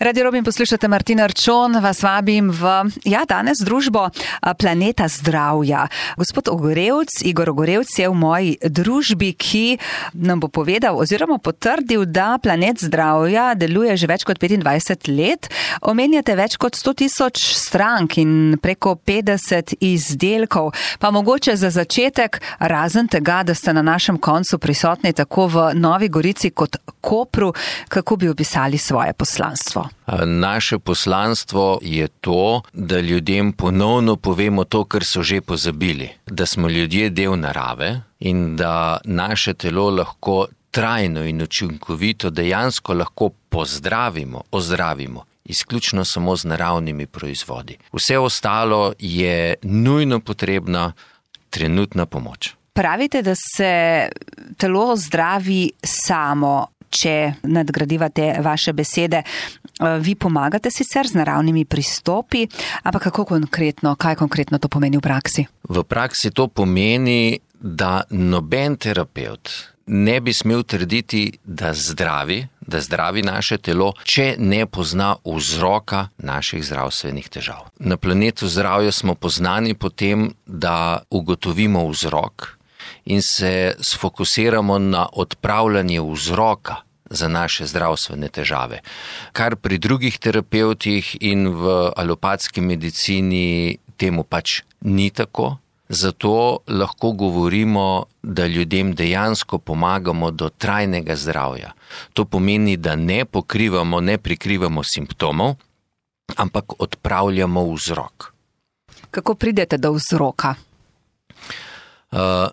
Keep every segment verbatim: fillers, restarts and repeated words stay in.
Radio Robin, poslušate Martina Arčon, vas vabim v, ja, danes družbo Planeta zdravja. Gospod Ogorevc, Igor Ogorevc je v moji družbi, ki nam bo povedal oziroma potrdil, da Planet zdravja deluje že več kot petindvajset let. Omenjate več kot sto tisoč strank in preko petdeset izdelkov. Pa mogoče za začetek, razen tega, da ste na našem koncu prisotni tako v Novi Gorici kot Kopru, kako bi opisali svoje poslanstvo? Naše poslanstvo je to, da ljudem ponovno povemo to, kar so že pozabili. Da smo ljudje del narave in da naše telo lahko trajno in učinkovito dejansko lahko pozdravimo, ozdravimo, izključno samo z naravnimi proizvodi. Vse ostalo je nujno potrebna trenutna pomoč. Pravite, da se telo zdravi samo, če nadgradiva te vaše besede. Vi pomagate sicer z naravnimi pristopi, ampak kako konkretno, kaj konkretno to pomeni v praksi? V praksi to pomeni, da noben terapevt ne bi smel trditi, da zdravi, da zdravi naše telo, če ne pozna vzroka naših zdravstvenih težav. Na Planetu zdravja smo poznani po tem, da ugotovimo vzrok in se sfokusiramo na odpravljanje vzroka za naše zdravstvene težave. Kar pri drugih terapevtih in v alopatski medicini temu pač ni tako. Zato lahko govorimo, da ljudem dejansko pomagamo do trajnega zdravja. To pomeni, da ne pokrivamo, ne prikrivamo simptomov, ampak odpravljamo vzrok. Kako pridete do vzroka? Uh,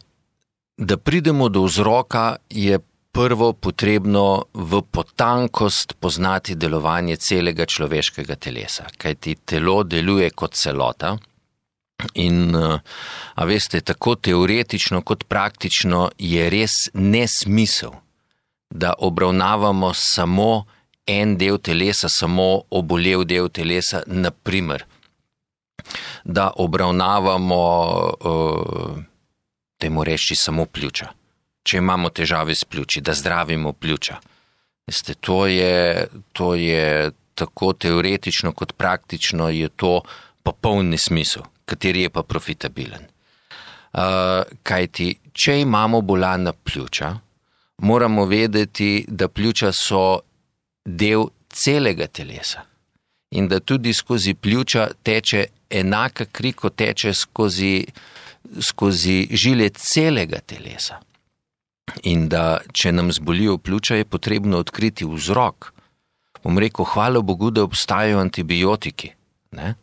da pridemo do vzroka je prvo potrebno v potankost poznati delovanje celega človeškega telesa, kajti telo deluje kot celota in, a veste, tako teoretično kot praktično je res nesmisel, da obravnavamo samo en del telesa, samo obolel del telesa, na primer, da obravnavamo, temu reči, samo pljuča. Če imamo težave s pljuči, da zdravimo pljuča. Veste, to je, to je tako teoretično kot praktično je to popoln nesmisel, kateri je pa profitabilen. Uh, kajti, če imamo bolana pljuča, moramo vedeti, da pljuča so del celega telesa in da tudi skozi pljuča teče enaka kri, kot teče skozi, skozi žile celega telesa. In da, če nam zbolijo pljuča, je potrebno odkriti vzrok. Bom rekel, hvala Bogu, da obstajajo antibiotiki, ne?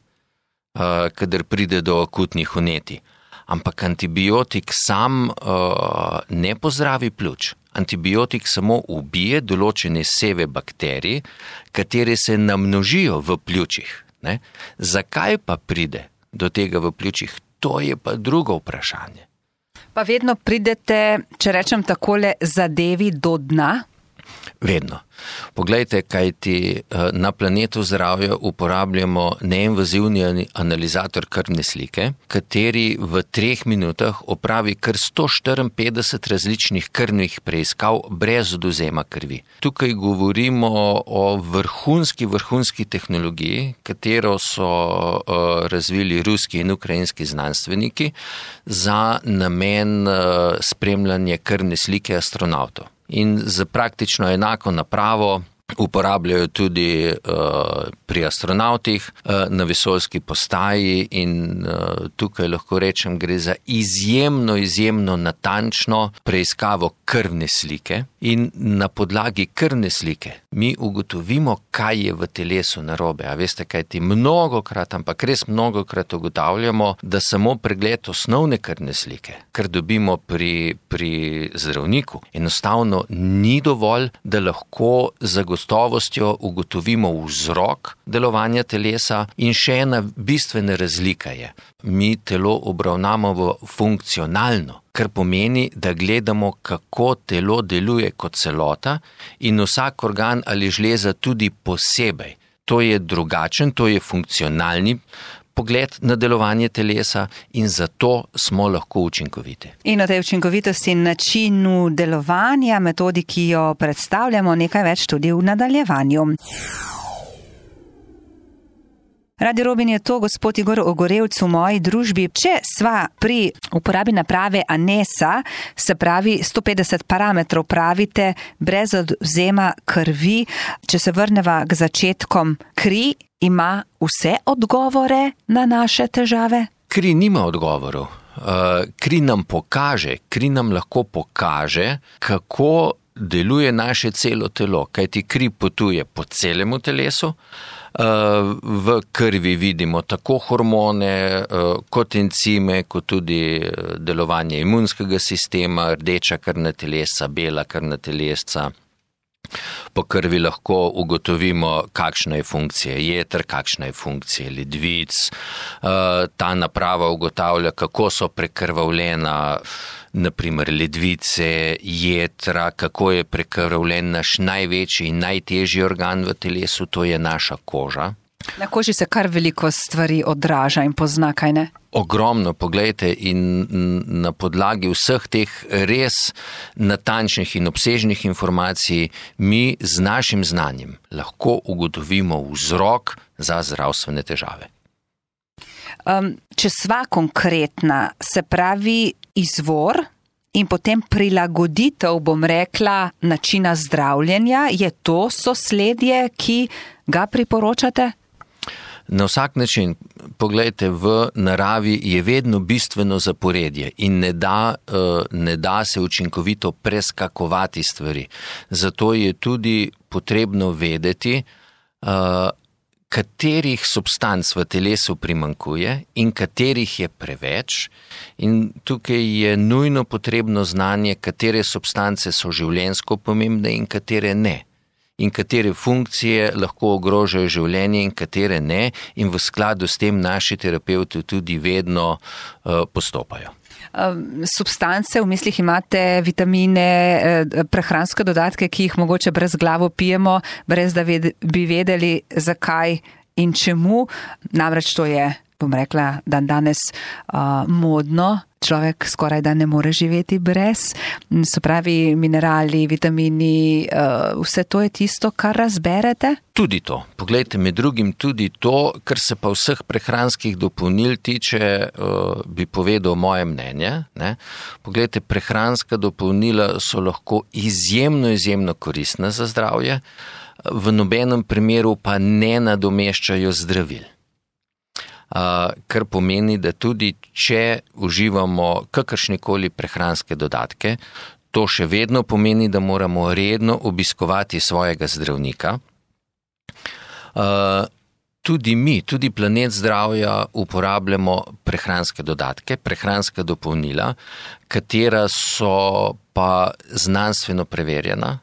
Uh, kadar pride do akutnih vnetij. Ampak antibiotik sam uh, ne pozdravi pljuč. Antibiotik samo ubije določene seve bakterij, katere se namnožijo v pljučih. Ne? Zakaj pa pride do tega v pljučih? To je pa drugo vprašanje. Pa vedno pridete, če rečem takole, zadevi do dna? Vedno. Poglejte, kajti na Planetu zdravja uporabljamo neinvazivni analizator krvne slike, kateri v treh minutah opravi kar sto štiriinpetdeset različnih krvnih preiskav brez odvzema krvi. Tukaj govorimo o vrhunski, vrhunski tehnologiji, katero so uh, razvili ruski in ukrajinski znanstveniki za namen uh, spremljanja krvne slike astronavtov. In za praktično enako napravo uporabljajo tudi uh, pri astronavtih uh, na vesoljski postaji in uh, tukaj lahko rečem, gre za izjemno, izjemno natančno preiskavo krvne slike in na podlagi krvne slike mi ugotovimo, kaj je v telesu narobe. A veste, kaj ti mnogokrat, ampak res mnogokrat ugotavljamo, da samo pregled osnovne krvne slike, kar dobimo pri, pri zdravniku, enostavno ni dovolj, da lahko zagotovimo gotovostjo ugotovimo vzrok delovanja telesa in še ena bistvena razlika je. Mi telo obravnavamo funkcionalno, kar pomeni, da gledamo, kako telo deluje kot celota in vsak organ ali žleza tudi posebej. To je drugačen, to je funkcionalni pogled na delovanje telesa in zato smo lahko učinkoviti. In o tej učinkovitosti in načinu delovanja, metodi, ki jo predstavljamo, nekaj več tudi v nadaljevanju. Radio Robin je to, gospod Igor Ogorevc v moji družbi. Če sva pri uporabi naprave Anesa, se pravi sto petdeset parametrov, pravite, brez odvzema krvi, če se vrneva k začetkom, kri ima vse odgovore na naše težave? Kri nima odgovorov. Kri nam pokaže, kri nam lahko pokaže, kako deluje naše celo telo, kajti kri potuje po celemu telesu. V krvi vidimo tako hormone, kot encime, kot tudi delovanje imunskega sistema, rdeča krvna telesa, bela krvna telesa. Po krvi lahko ugotovimo, kakšna je funkcija jeter, kakšna je funkcija ledvic. Ta naprava ugotavlja, kako so prekrvavljena naprimer ledvice, jetra, kako je prekrvavljen naš največji in najtežji organ v telesu, to je naša koža. Na koži se kar veliko stvari odraža in pozna, kaj ne? Ogromno, poglejte, in na podlagi vseh teh res natančnih in obsežnih informacij mi z našim znanjem lahko ugotovimo vzrok za zdravstvene težave. Um, če sva konkretna, se pravi izvor in potem prilagoditev, bom rekla, načina zdravljenja, je to sosledje, ki ga priporočate? Na vsak način, poglejte, v naravi je vedno bistveno zaporedje in ne da, ne da se učinkovito preskakovati stvari. Zato je tudi potrebno vedeti, katerih substanc v telesu primanjkuje in katerih je preveč. In tukaj je nujno potrebno znanje, katere substance so življenjsko pomembne in katere ne. In katere funkcije lahko ogrožajo življenje in katere ne, in v skladu s tem naši terapevti tudi vedno uh, postopajo. Substance, v mislih imate vitamine, prehranske dodatke, ki jih mogoče brez glavo pijemo, brez da ved, bi vedeli, zakaj in čemu. Namreč to je, bom rekla, dan danes uh, modno. Človek skoraj da ne more živeti brez. Se pravi, minerali, vitamini, vse to je tisto, kar razberete? Tudi to. Poglejte, med drugim tudi to, kar se pa vseh prehranskih dopolnil tiče, bi povedal moje mnenje. Ne? Poglejte, prehranska dopolnila so lahko izjemno, izjemno koristna za zdravje, v nobenem primeru pa ne nadomeščajo zdravil. Uh, kar pomeni, da tudi če uživamo kakršnekoli prehranske dodatke, to še vedno pomeni, da moramo redno obiskovati svojega zdravnika. Uh, tudi mi, tudi Planet zdravja uporabljamo prehranske dodatke, prehranska dopolnila, katera so pa znanstveno preverjena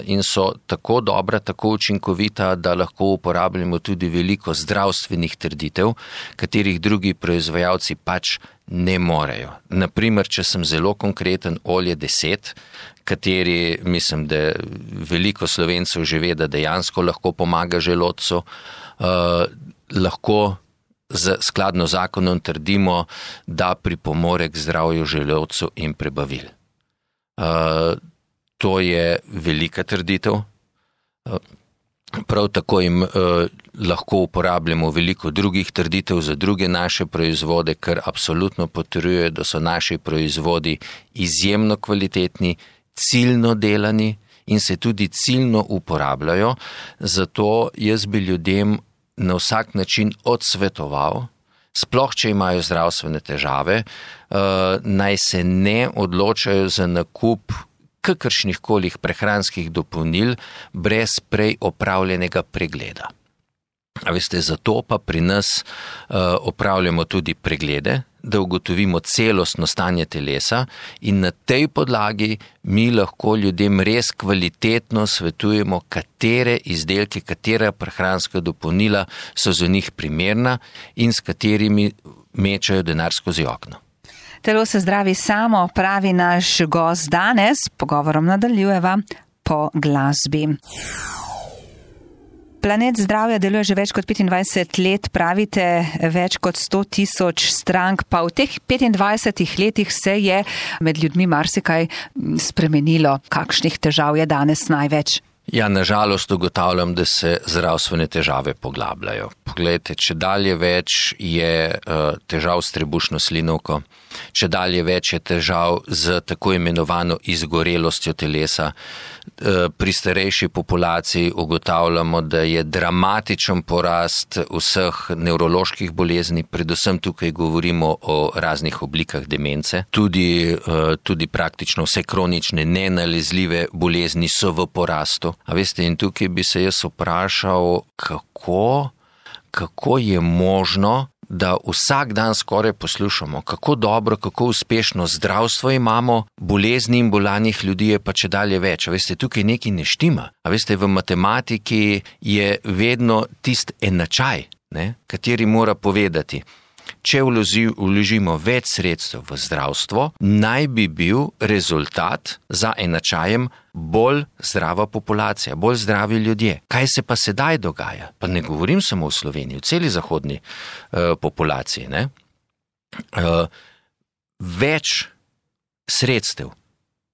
in so tako dobra, tako učinkovita, da lahko uporabljamo tudi veliko zdravstvenih trditev, katerih drugi proizvajalci pač ne morejo. Naprimer, če sem zelo konkreten, olje deset, kateri mislim, da veliko Slovencev že ve, da dejansko lahko pomaga želodcu, uh, lahko z skladno zakonom trdimo, da pripomore k zdravju želodcu in prebavil. Uh, To je velika trditev. Prav tako jim eh, lahko uporabljamo veliko drugih trditev za druge naše proizvode, kar absolutno potrjuje, da so naši proizvodi izjemno kvalitetni, ciljno delani in se tudi ciljno uporabljajo. Zato jaz bi ljudem na vsak način odsvetoval, sploh če imajo zdravstvene težave, eh, naj se ne odločajo za nakup kakršnih kolih prehranskih dopolnil brez prej opravljenega pregleda. A veste, zato pa pri nas uh, opravljamo tudi preglede, da ugotovimo celostno stanje telesa in na tej podlagi mi lahko ljudem res kvalitetno svetujemo, katere izdelke, katera prehranska dopolnila so za njih primerna in s katerimi mečajo denar skozi okno. Telo se zdravi samo, pravi naš gost danes. Pogovorom nadaljujeva po glasbi. Planet zdravja deluje že več kot petindvajset let, pravite več kot sto tisoč strank, pa v teh petindvajsetih letih se je med ljudmi marsikaj spremenilo. Kakšnih težav je danes največ? Ja, nažalost ugotavljam, da se zdravstvene težave poglabljajo. Poglejte, če dalje več je uh, težav s trebušno slinovko, če dalje več je težav z tako imenovano izgorelostjo telesa. Uh, pri starejši populaciji ugotavljamo, da je dramatičen porast vseh nevroloških bolezni, predvsem tukaj govorimo o raznih oblikah demence. Tudi, uh, tudi praktično vse kronične nenalezljive bolezni so v porastu. A veste, in tukaj bi se jaz vprašal, kako, kako je možno, da vsak dan skoraj poslušamo, kako dobro, kako uspešno zdravstvo imamo, bolezni in bolanih ljudi je pa čedalje več. A veste, tukaj nekaj ne štima. A veste, v matematiki je vedno tist enačaj, ne, kateri mora povedati, če vložimo več sredstev v zdravstvo, naj bi bil rezultat za enačajem bolj zdrava populacija, bolj zdravi ljudje. Kaj se pa sedaj dogaja? Pa ne govorim samo v Sloveniji, v celi zahodni uh, populaciji. Ne? Uh, več sredstev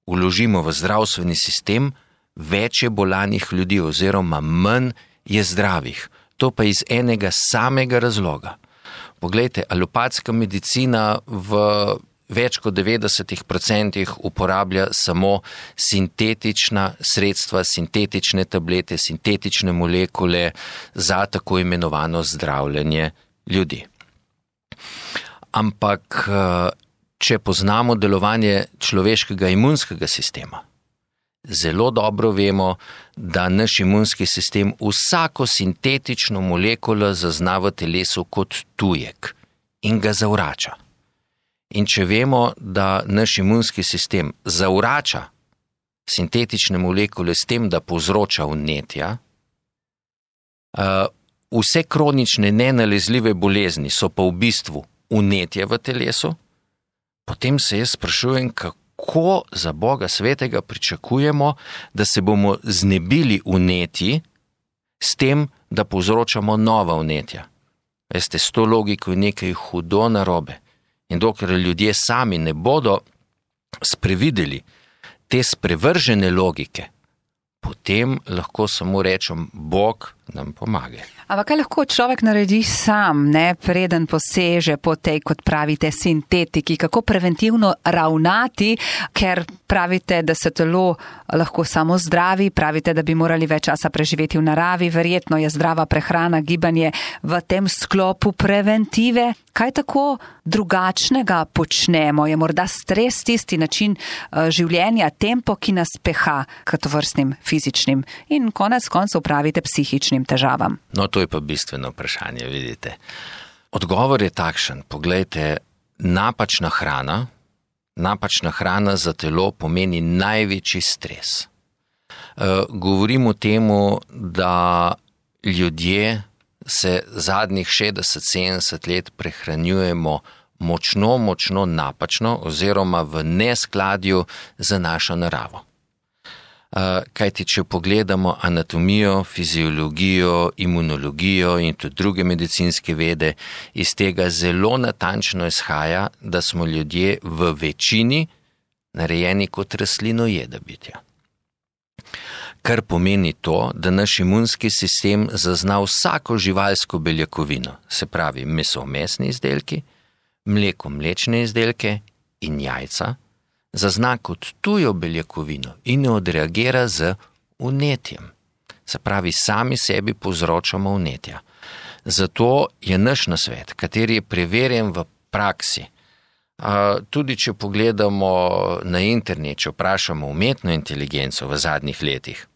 vložimo v zdravstveni sistem, več je bolanih ljudi oziroma manj je zdravih. To pa iz enega samega razloga. Poglejte, alopatska medicina v več kot devetdesetih procentih uporablja samo sintetična sredstva, sintetične tablete, sintetične molekule za tako imenovano zdravljenje ljudi. Ampak, če poznamo delovanje človeškega imunskega sistema, zelo dobro vemo, da naš imunski sistem vsako sintetično molekulo zazna v telesu kot tujek in ga zavrača. In če vemo, da naš imunski sistem zavrača sintetične molekule s tem, da povzroča vnetja, vse kronične nenalezljive bolezni so pa v bistvu vnetje v telesu, potem se jaz sprašujem, kako Ko za Boga svetega pričakujemo, da se bomo znebili vnetji s tem, da povzročamo nova vnetja. Veste, s to logiko je nekaj hudo narobe. In dokler ljudje sami ne bodo sprevideli te sprevržene logike, potem lahko samo rečem, Bog nam pomaga. Ampak kaj lahko človek naredi sam, ne, preden poseže po tej, kot pravite, sintetiki, kako preventivno ravnati, ker pravite, da se telo lahko samo zdravi, pravite, da bi morali več časa preživeti v naravi, verjetno je zdrava prehrana, gibanje v tem sklopu preventive. Kaj tako drugačnega počnemo? Je morda stres tisti način življenja, tempo, ki nas peha k tovrstnim fizičnim in konec koncev pravite psihičnim težavam? No, to je pa bistveno vprašanje, vidite. Odgovor je takšen, poglejte, napačna hrana, napačna hrana za telo pomeni največji stres. E, govorim o temu, da ljudje se zadnjih šestdeset sedemdeset let prehranjujemo močno, močno napačno oziroma v neskladju z našo naravo. Kajti, če pogledamo anatomijo, fiziologijo, imunologijo in tudi druge medicinske vede, iz tega zelo natančno izhaja, da smo ljudje v večini narejeni kot rastlinojeda bitja. Kar pomeni to, da naš imunski sistem zazna vsako živalsko beljakovino, se pravi meso-mesni izdelki, mleko-mlečne izdelke in jajca, zazna kot tujo beljakovino in odreagira z vnetjem. Se pravi, sami sebi povzročamo vnetja. Zato je naš nasvet, kateri je preverjen v praksi, tudi če pogledamo na internet, če vprašamo umetno inteligenco v zadnjih letih,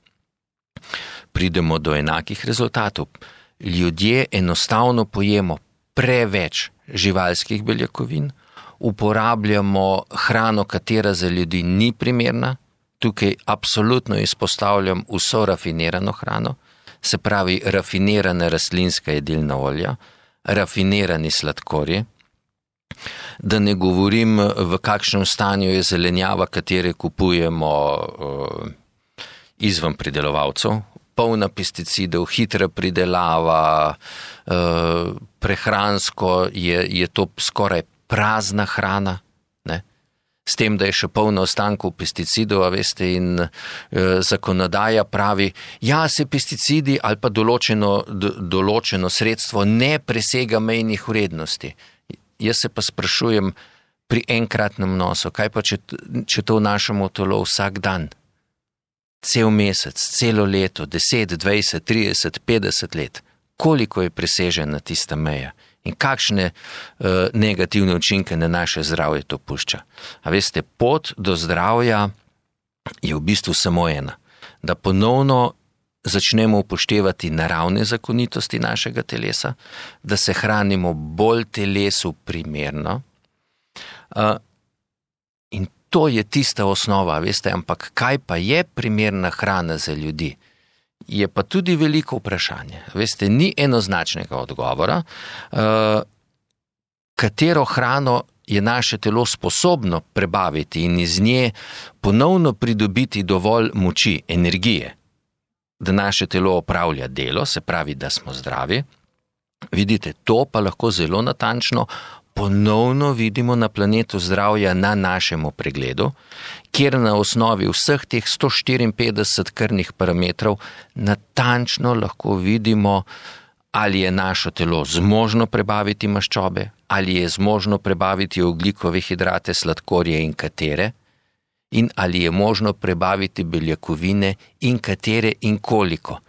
pridemo do enakih rezultatov. Ljudje enostavno pojemo preveč živalskih beljakovin, uporabljamo hrano, katera za ljudi ni primerna, tukaj absolutno izpostavljam vso rafinirano hrano, se pravi rafinirana rastlinska jedilna olja, rafinirani sladkorji, da ne govorim, v kakšnem stanju je zelenjava, katere kupujemo uh, izven pridelovalcev, polna pesticidov, hitra pridelava, uh, prehransko je, je to skoraj prazna hrana, ne? S tem, da je še polno ostankov pesticidov, a veste, in e, zakonodaja pravi, ja, se pesticidi ali pa določeno, do, določeno sredstvo ne presega mejnih vrednosti. Jaz se pa sprašujem pri enkratnem nosu, kaj pa, če, če to vnašamo v telo vsak dan? Cel mesec, celo leto, deset, dvajset, trideset, petdeset let. Koliko je presežena tista meja? In kakšne uh, negativne učinke na naše zdravje to pušča. A veste, pot do zdravja je v bistvu samo ena. Da ponovno začnemo upoštevati naravne zakonitosti našega telesa, da se hranimo bolj telesu primerno. Uh, in to je tista osnova, veste, ampak kaj pa je primerna hrana za ljudi? Je pa tudi veliko vprašanje. Veste, ni enoznačnega odgovora, uh, katero hrano je naše telo sposobno prebaviti in iz nje ponovno pridobiti dovolj moči, energije, da naše telo opravlja delo, se pravi, da smo zdravi. Vidite, to pa lahko zelo natančno ponovno vidimo na planetu zdravja na našemu pregledu, kjer na osnovi vseh teh sto štiriinpetdeset krvnih parametrov natančno lahko vidimo, ali je naše telo zmožno prebaviti maščobe, ali je zmožno prebaviti ogljikove hidrate, sladkorje in katere, in ali je možno prebaviti beljakovine in katere in koliko.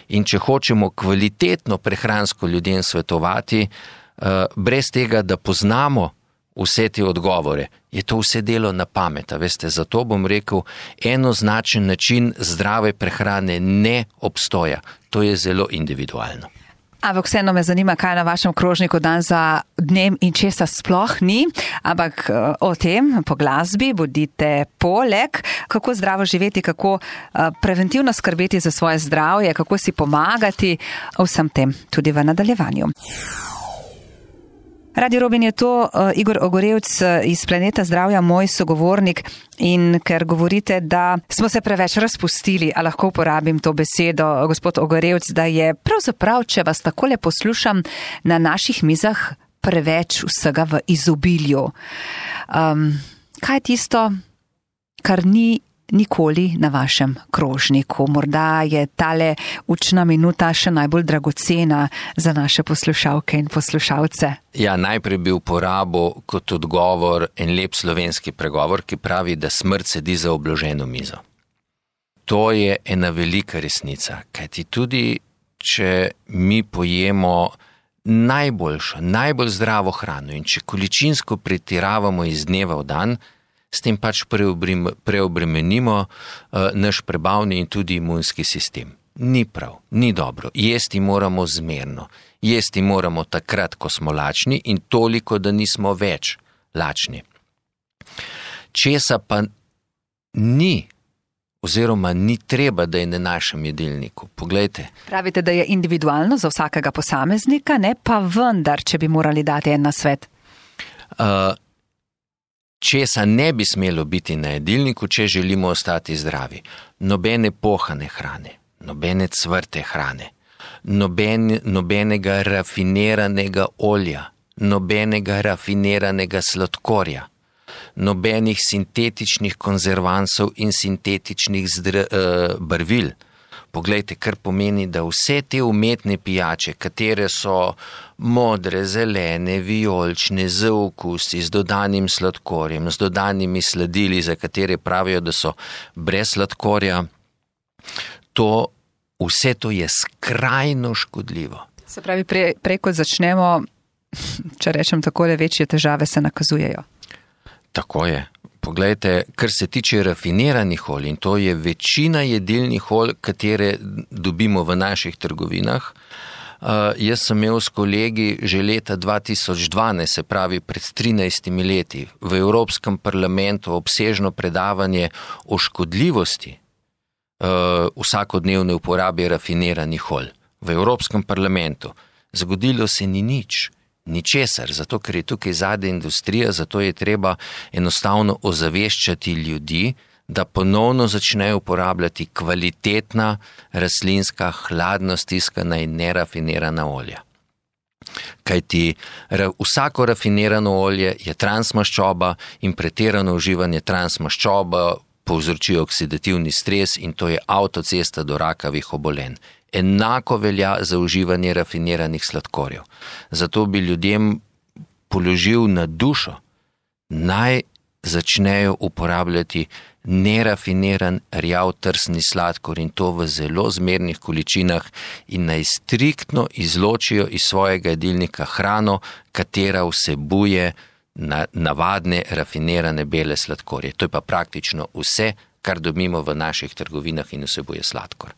In če hočemo kvalitetno prehransko ljudem svetovati, brez tega, da poznamo vse te odgovore, je to vse delo na pamet. Veste, zato bom rekel, enoznačen način zdrave prehrane ne obstoja. To je zelo individualno. Ampak vseeno me zanima, kaj na vašem krožniku dan za dnem in česa sploh ni, ampak o tem po glasbi bodite poleg, kako zdravo živeti, kako preventivno skrbeti za svoje zdravje, kako si pomagati, o vsem tem tudi v nadaljevanju. Radio Robin je to, Igor Ogorevc iz Planeta zdravja, moj sogovornik, in ker govorite, da smo se preveč razpustili, a lahko uporabim to besedo, gospod Ogorevc, da je pravzaprav, če vas takole poslušam, na naših mizah preveč vsega v izobilju. Um, kaj je tisto, kar ni nikoli na vašem krožniku? Morda je tale učna minuta še najbolj dragocena za naše poslušalke in poslušalce. Ja, najprej bi uporabil kot odgovor en lep slovenski pregovor, ki pravi, da smrt sedi za obloženo mizo. To je ena velika resnica, kajti tudi, če mi pojemo najboljšo, najbolj zdravo hrano in če količinsko pretiravamo iz dneva v dan, s tem pač preobremenimo uh, naš prebavni in tudi imunski sistem. Ni prav, ni dobro. Jesti moramo zmerno. Jesti moramo takrat, ko smo lačni, in toliko, da nismo več lačni. Česa pa ni, oziroma ni treba, da je na našem jedilniku. Poglejte. Pravite, da je individualno za vsakega posameznika, ne pa vendar, če bi morali dati en nasvet. Uh, Česa ne bi smelo biti na jedilniku, če želimo ostati zdravi? Nobene pohane hrane, nobene cvrte hrane, noben, nobenega rafiniranega olja, nobenega rafiniranega sladkorja, nobenih sintetičnih konzervansov in sintetičnih zdr, uh, barvil. Poglejte, kar pomeni, da vse te umetne pijače, katere so modre, zelene, vijolične, z okusi, z dodanim sladkorjem, z dodanimi sladili, za katere pravijo, da so brez sladkorja, to, vse to je skrajno škodljivo. Se pravi, prej, prej kot začnemo, če rečem takole, večje težave se nakazujejo. Tako je. Poglejte, kar se tiče rafiniranih olj, in to je večina jedilnih olj, katere dobimo v naših trgovinah. Uh, jaz sem imel s kolegi že leta dva tisoč dvanajst, se pravi pred trinajstimi leti, v Evropskem parlamentu obsežno predavanje o škodljivosti uh, vsakodnevne uporabe rafiniranih olj. V Evropskem parlamentu. Zgodilo se ni nič. Ničesar, zato ker je tukaj zadnja industrija, zato je treba enostavno ozaveščati ljudi, da ponovno začnejo uporabljati kvalitetna rastlinska, hladno stiskana in nerafinirana olja. Kajti vsako rafinirano olje je transmaščoba in pretirano uživanje transmaščoba povzroči oksidativni stres in to je avtocesta do rakavih obolenj. Enako velja za uživanje rafiniranih sladkorjev. Zato bi ljudem položil na dušo, naj začnejo uporabljati nerafiniran rjav trsni sladkor in to v zelo zmernih količinah in naj striktno izločijo iz svojega jedilnika hrano, katera vsebuje na, navadne rafinirane bele sladkorje. To je pa praktično vse, kar dobimo v naših trgovinah in vsebuje sladkor.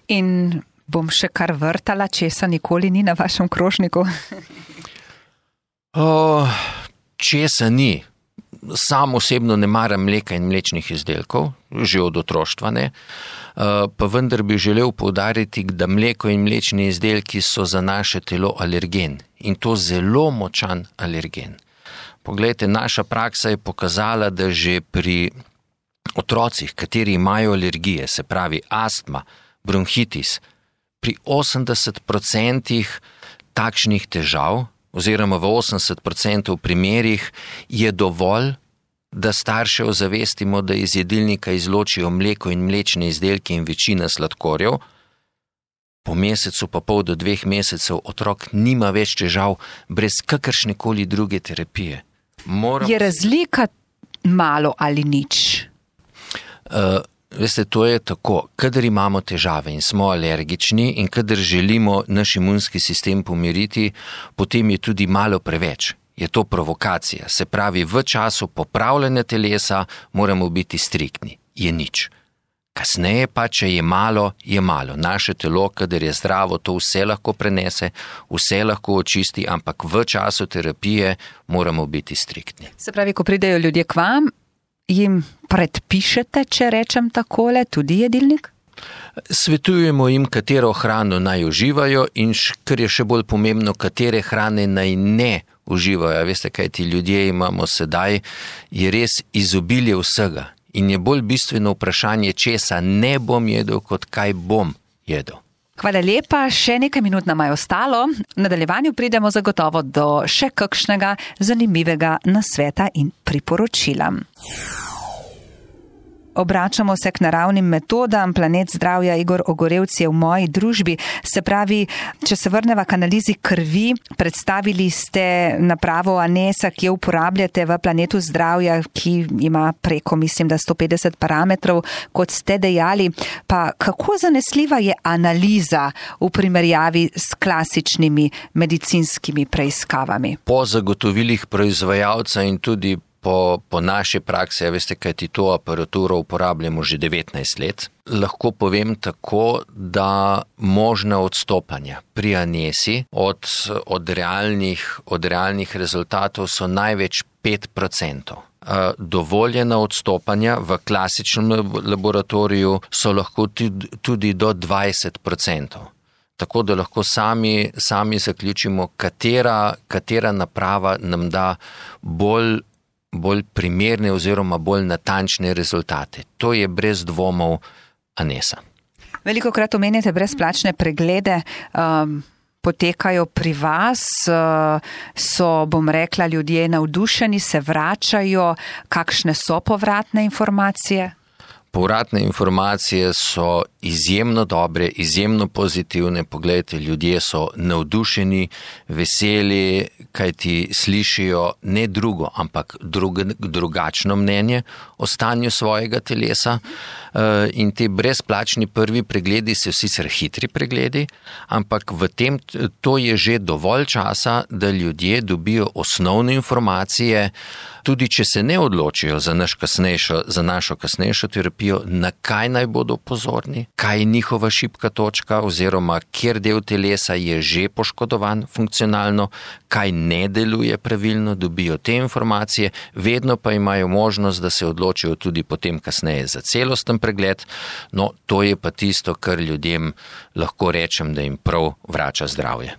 In bom še kar vrtala, česa nikoli ni na vašem krožniku? o, česa ni? Sam osebno ne maram mleka in mlečnih izdelkov, že od otroštva ne, pa vendar bi želel poudariti, da mleko in mlečni izdelki so za naše telo alergen in to zelo močan alergen. Poglejte, naša praksa je pokazala, da že pri otrocih, kateri imajo alergije, se pravi astma, bronhitis, pri osemdeset procentih takšnih težav, oziroma v osemdeset procentov primerih je dovolj, da starše ozavestimo, da iz jedilnika izločijo mleko in mlečne izdelke in večina sladkorjev. Po mesecu pa pol do dveh mesecev otrok nima več težav brez kakršnekoli druge terapije. Moram... Je razlika malo ali nič? Uh, Veste, to je tako, kadar imamo težave in smo alergični in kadar želimo naš imunski sistem pomiriti, potem je tudi malo preveč. Je to provokacija. Se pravi, v času popravljanja telesa moramo biti striktni. Je nič. Kasneje pa, če je malo, je malo. Naše telo, kadar je zdravo, to vse lahko prenese, vse lahko očisti, ampak v času terapije moramo biti striktni. Se pravi, ko pridejo ljudje k vam, jim predpišete, če rečem takole, tudi jedilnik? Svetujemo jim, katero hrano naj uživajo in kar je še bolj pomembno, katere hrane naj ne uživajo. Veste, kaj ti ljudje imamo sedaj, je res izobilje vsega in je bolj bistveno vprašanje, česa ne bom jedel, kot kaj bom jedel. Hvala lepa, še nekaj minut nam je ostalo. V nadaljevanju pridemo zagotovo do še kakšnega zanimivega nasveta in priporočila. Obračamo se k naravnim metodam. Planet zdravja Igor Ogorevc je v moji družbi. Se pravi, če se vrneva k analizi krvi, predstavili ste napravo Anesa, ki jo uporabljate v Planetu zdravja, ki ima preko, mislim, da sto petdeset parametrov, kot ste dejali. Pa kako zanesljiva je analiza v primerjavi s klasičnimi medicinskimi preiskavami? Po zagotovilih proizvajalca in tudi Po, po naši praksi, veste, kaj ti to aparaturo uporabljamo že devetnajst let, lahko povem tako, da možna odstopanja pri Anesi od, od, realnih, od realnih rezultatov so največ pet procentov. Dovoljena odstopanja v klasičnem laboratoriju so lahko tudi, tudi do dvajset procentov. Tako da lahko sami, sami zaključimo, katera, katera naprava nam da bolj bolj primerne oziroma bolj natančne rezultate. To je brez dvomov Anesa. Veliko krat omenjate brezplačne preglede, um, potekajo pri vas, uh, so, bom rekla, ljudje navdušeni, se vračajo, kakšne so povratne informacije? Povratne informacije so izjemno dobre, izjemno pozitivne. Poglejte, ljudje so navdušeni, veseli, kajti slišijo ne drugo, ampak drug, drugačno mnenje o stanju svojega telesa. In te brezplačni prvi pregledi so sicer hitri pregledi, ampak v tem to je že dovolj časa, da ljudje dobijo osnovne informacije, tudi če se ne odločijo za, naš kasnejšo, za našo kasnejšo terapijo, na kaj naj bodo pozorni, kaj je njihova šibka točka oziroma kjer del telesa je že poškodovan funkcionalno, kaj ne deluje pravilno, dobijo te informacije, vedno pa imajo možnost, da se odločijo tudi potem kasneje za celosten pregled. No, to je pa tisto, kar ljudem lahko rečem, da jim prav vrača zdravje.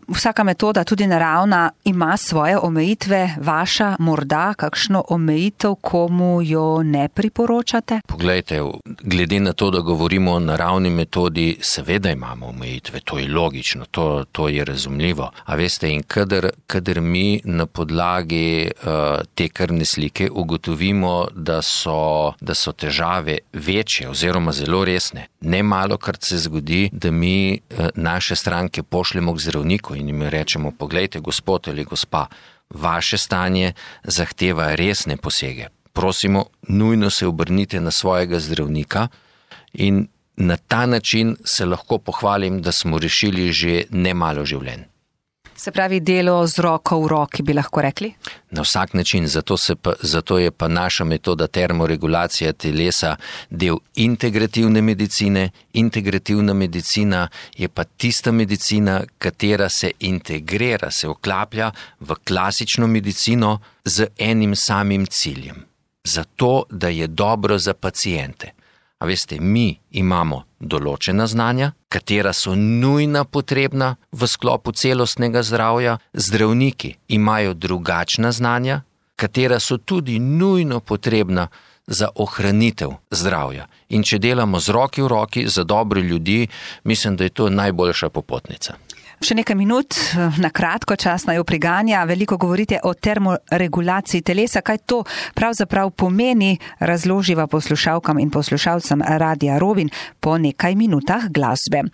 Vsaka metoda, tudi naravna, ima svoje omejitve, vaša morda morda kakšno omejitev, komu jo ne priporočate? Poglejte, glede na to, da govorimo o naravni metodi, seveda imamo omejitve, to je logično, to, to je razumljivo. A veste, in kadar, kadar mi na podlagi uh, te krvne slike ugotovimo, da so, da so težave večje oziroma zelo resne, ne malo krat se zgodi, da mi uh, naše stranke pošljemo k zdravniku in jim rečemo, poglejte, gospod ali gospa, vaše stanje zahteva resne posege. Prosimo, nujno se obrnite na svojega zdravnika in na ta način se lahko pohvalim, da smo rešili že nemalo življenj. Se pravi, delo z roko v roki, bi lahko rekli? Na vsak način, zato, se pa, zato je pa naša metoda termoregulacija telesa del integrativne medicine. Integrativna medicina je pa tista medicina, katera se integrira, se vklaplja v klasično medicino z enim samim ciljem. Zato, da je dobro za paciente. A veste, mi imamo določena znanja, katera so nujna potrebna v sklopu celostnega zdravja, zdravniki imajo drugačna znanja, katera so tudi nujno potrebna za ohranitev zdravja. In če delamo z roki v roki za dobro ljudi, mislim, da je to najboljša popotnica. Še nekaj minut, na kratko, čas naj priganja. Veliko govorite o termoregulaciji telesa. Kaj to pravzaprav pomeni, razloživa poslušalkam in poslušalcem Radia Rovinj po nekaj minutah glasbe.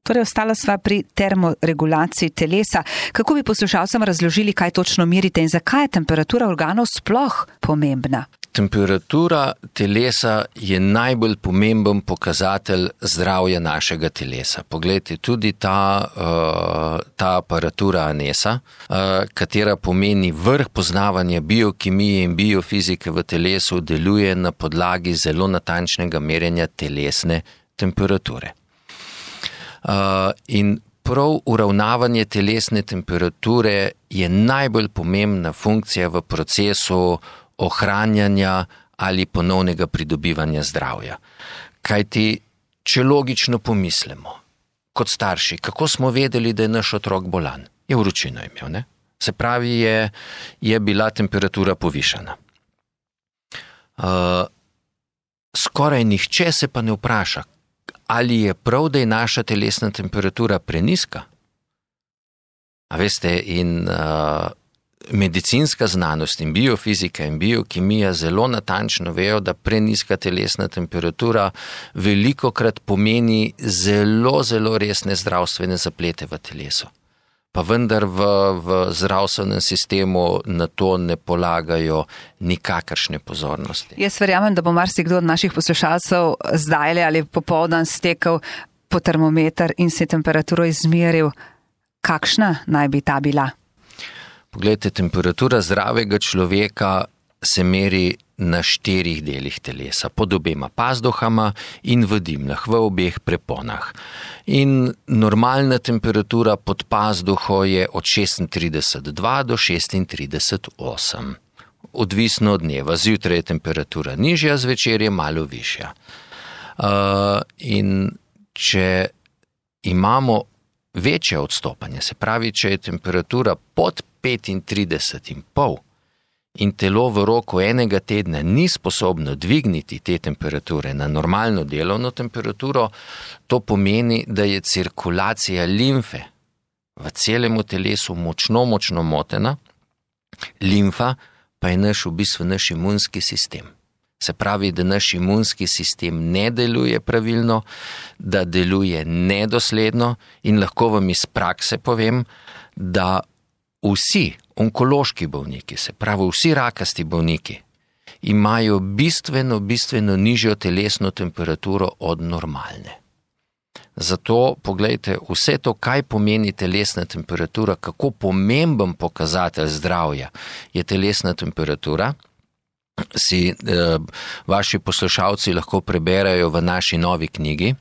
Torej, ostala sva pri termoregulaciji telesa. Kako bi poslušalcem razložili, kaj točno merite in zakaj je temperatura organov sploh pomembna? Temperatura telesa je najbolj pomemben pokazatelj zdravja našega telesa. Poglejte, tudi ta, uh, ta aparatura Anesa, uh, katera pomeni vrh poznavanja biokemije in biofizike v telesu, deluje na podlagi zelo natančnega merjenja telesne temperature. Uh, in prav uravnavanje telesne temperature je najbolj pomembna funkcija v procesu ohranjanja ali ponovnega pridobivanja zdravja. Kajti, če logično pomislimo, kot starši, kako smo vedeli, da je naš otrok bolan? Je vročino imel, ne? Se pravi, je, je bila temperatura povišana. Uh, skoraj nihče se pa ne vpraša, ali je prav, da je naša telesna temperatura preniska? A veste, in uh, medicinska znanost in biofizika in biokemija zelo natančno vejo, da preniska telesna temperatura velikokrat pomeni zelo, zelo resne zdravstvene zaplete v telesu. Pa vendar v, v zdravstvenem sistemu na to ne polagajo nikakršne pozornosti. Jaz verjamem, da bo marsikdo od naših poslušalcev zdaj ali popoldan stekel po termometer in si temperaturo izmeril. Kakšna naj bi ta bila? Poglejte, temperatura zdravega človeka se meri na štirih delih telesa, pod obema pazduhama in v dimljah, v obeh preponah. In normalna temperatura pod pazduho je od šestintrideset dva do šestintrideset osem. Odvisno od dneva. Zjutraj je temperatura nižja, zvečer je malo višja. Uh, in če imamo večje odstopanje, se pravi, če je temperatura pod petintrideset in pol in telo v roku enega tedna ni sposobno dvigniti te temperature na normalno delovno temperaturo, to pomeni, da je cirkulacija limfe v celemu telesu močno, močno motena. Limfa pa je naš v bistvu naš imunski sistem. Se pravi, da naš imunski sistem ne deluje pravilno, da deluje nedosledno in lahko vam iz prakse povem, da vsi onkološki bolniki, se pravi vsi rakasti bolniki, imajo bistveno, bistveno nižjo telesno temperaturo od normalne. Zato, poglejte, vse to, kaj pomeni telesna temperatura, kako pomemben pokazatelj zdravja je telesna temperatura, si eh, vaši poslušalci lahko preberajo v naši novi knjigi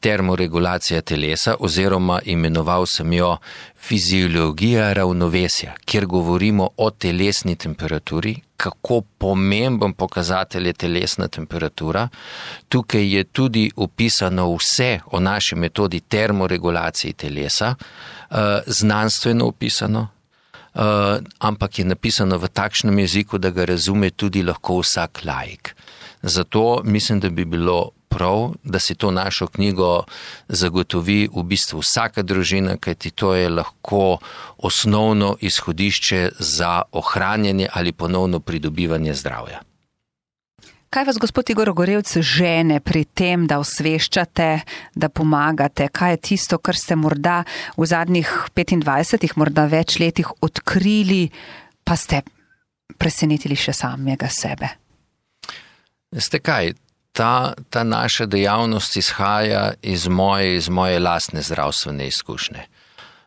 Termoregulacija telesa, oziroma imenoval sem jo Fiziologija ravnovesja, kjer govorimo o telesni temperaturi, kako pomemben pokazatelj je telesna temperatura. Tukaj je tudi opisano vse o naši metodi termoregulacije telesa, znanstveno opisano. uh, ampak je napisano v takšnem jeziku, da ga razume tudi lahko vsak laik. Zato mislim, da bi bilo prav, da si to našo knjigo zagotovi v bistvu vsaka družina, kajti to je lahko osnovno izhodišče za ohranjanje ali ponovno pridobivanje zdravja. Kaj vas, gospod Igor Ogorevc, žene pri tem, da osveščate, da pomagate? Kaj je tisto, kar ste morda v zadnjih petindvajsetih, morda več letih odkrili, pa ste presenetili še samega sebe? Veste kaj, ta, ta naša dejavnost izhaja iz moje, iz moje lastne zdravstvene izkušnje.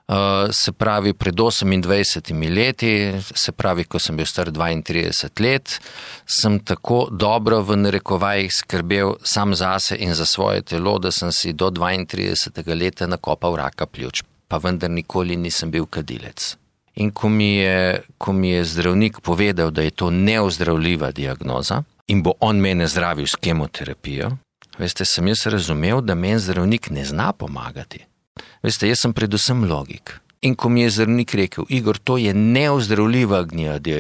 Uh, se pravi, pred osemindvajsetimi leti, se pravi, ko sem bil star dvaintrideset let, sem tako dobro v narekovajih skrbel sam zase in za svoje telo, da sem si do dvaintridesetega leta nakopal raka pljuč, pa vendar nikoli nisem bil kadilec. In ko mi je, ko mi je zdravnik povedal, da je to neozdravljiva diagnoza in bo on mene zdravil s kemoterapijo, veste, sem jaz razumel, da meni zdravnik ne zna pomagati. Veste, jaz sem predvsem logik. In ko mi je zdravnik rekel, Igor, to je neozdravljiva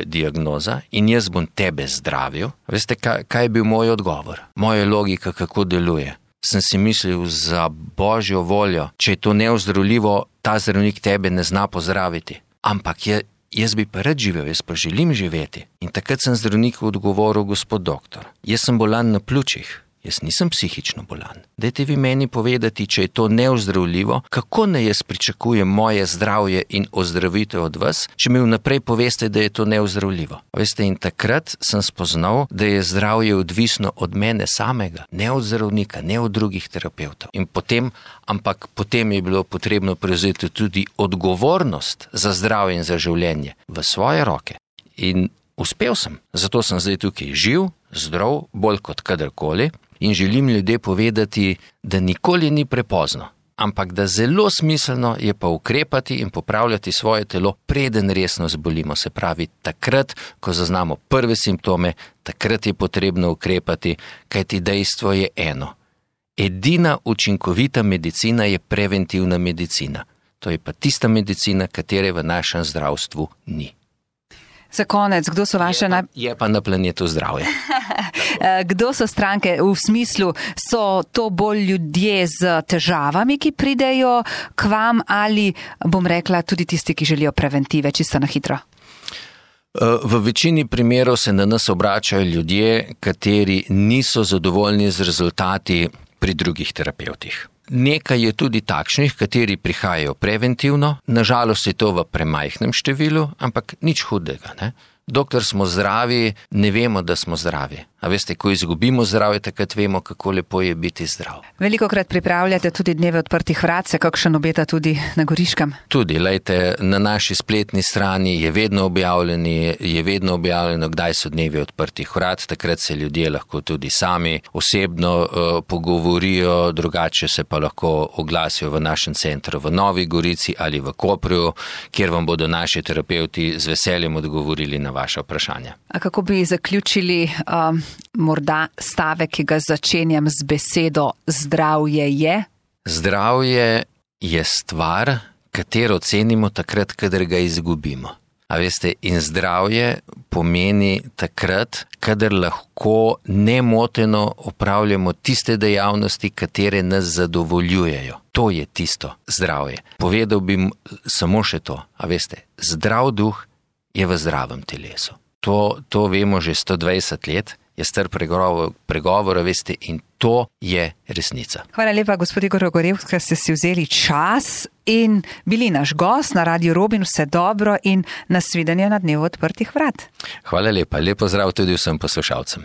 diagnoza in jaz bom tebe zdravil, veste, kaj, kaj je bil moj odgovor? Moja logika, kako deluje. Sem si mislil, za božjo voljo, če je to neozdravljivo, ta zdravnik tebe ne zna pozdraviti. Ampak je, jaz bi pa rad živel, jaz pa želim živeti. In takrat sem zdravniku odgovoril, gospod doktor, jaz sem bolan na pljučih. Jaz nisem psihično bolan. Dajte vi meni povedati, če je to neozdravljivo, kako naj jaz pričakujem moje zdravje in ozdravitev od vas, če mi vnaprej poveste, da je to neozdravljivo. Veste, in takrat sem spoznal, da je zdravje odvisno od mene samega, ne od zdravnika, ne od drugih terapevtov. In potem, ampak potem je bilo potrebno prevzeti tudi odgovornost za zdravje in za življenje v svoje roke. In uspel sem. Zato sem zdaj tukaj živ, zdrav, bolj kot kadarkoli. In želim ljudje povedati, da nikoli ni prepozno, ampak da zelo smiselno je pa ukrepati in popravljati svoje telo, preden resno zbolimo. Se pravi, takrat, ko zaznamo prve simptome, takrat je potrebno ukrepati, kajti dejstvo je eno. Edina učinkovita medicina je preventivna medicina. To je pa tista medicina, katere v našem zdravstvu ni. Za konec, kdo so vaše... Je pa, je pa na planetu zdravje. Kdo so stranke v smislu, so to bolj ljudje z težavami, ki pridejo k vam, ali, bom rekla, tudi tisti, ki želijo preventive, čisto na hitro? V večini primerov se na nas obračajo ljudje, kateri niso zadovoljni z rezultati pri drugih terapevtih. Nekaj je tudi takšnih, kateri prihajajo preventivno, nažalost je to v premajhnem številu, ampak nič hudega, ne? Dokler smo zdravi, ne vemo, da smo zdravi. A veste, ko izgubimo zdravje, takrat vemo, kako lepo je biti zdrav. Velikokrat pripravljate tudi dneve odprtih vrat, se kakšen obeta tudi na Goriškem? Tudi, lejte, na naši spletni strani je vedno objavljeni, je vedno objavljeno, kdaj so dnevi odprtih vrat, takrat se ljudje lahko tudi sami osebno uh, pogovorijo, drugače se pa lahko oglasijo v našem centru v Novi Gorici ali v Koprju, kjer vam bodo naši terapevti z veseljem odgovorili na vaše vprašanja. A kako bi zaključili um, morda stavek, ki ga začenjam z besedo zdravje je? Zdravje je stvar, katero cenimo takrat, kadar ga izgubimo. A veste, in zdravje pomeni takrat, kadar lahko nemoteno opravljamo tiste dejavnosti, katere nas zadovoljujejo. To je tisto zdravje. Povedal bi samo še to, a veste, zdrav duh je v zdravem telesu. To, to vemo že sto dvajset let, je star pregovor, pregovor, veste, in to je resnica. Hvala lepa, gospod Igor Ogorevc, ker ste si vzeli čas in bili naš gost na Radiu Robin. Vse dobro in nasvidenje na dnevu odprtih vrat. Hvala lepa, lepo zdrav tudi vsem poslušalcem.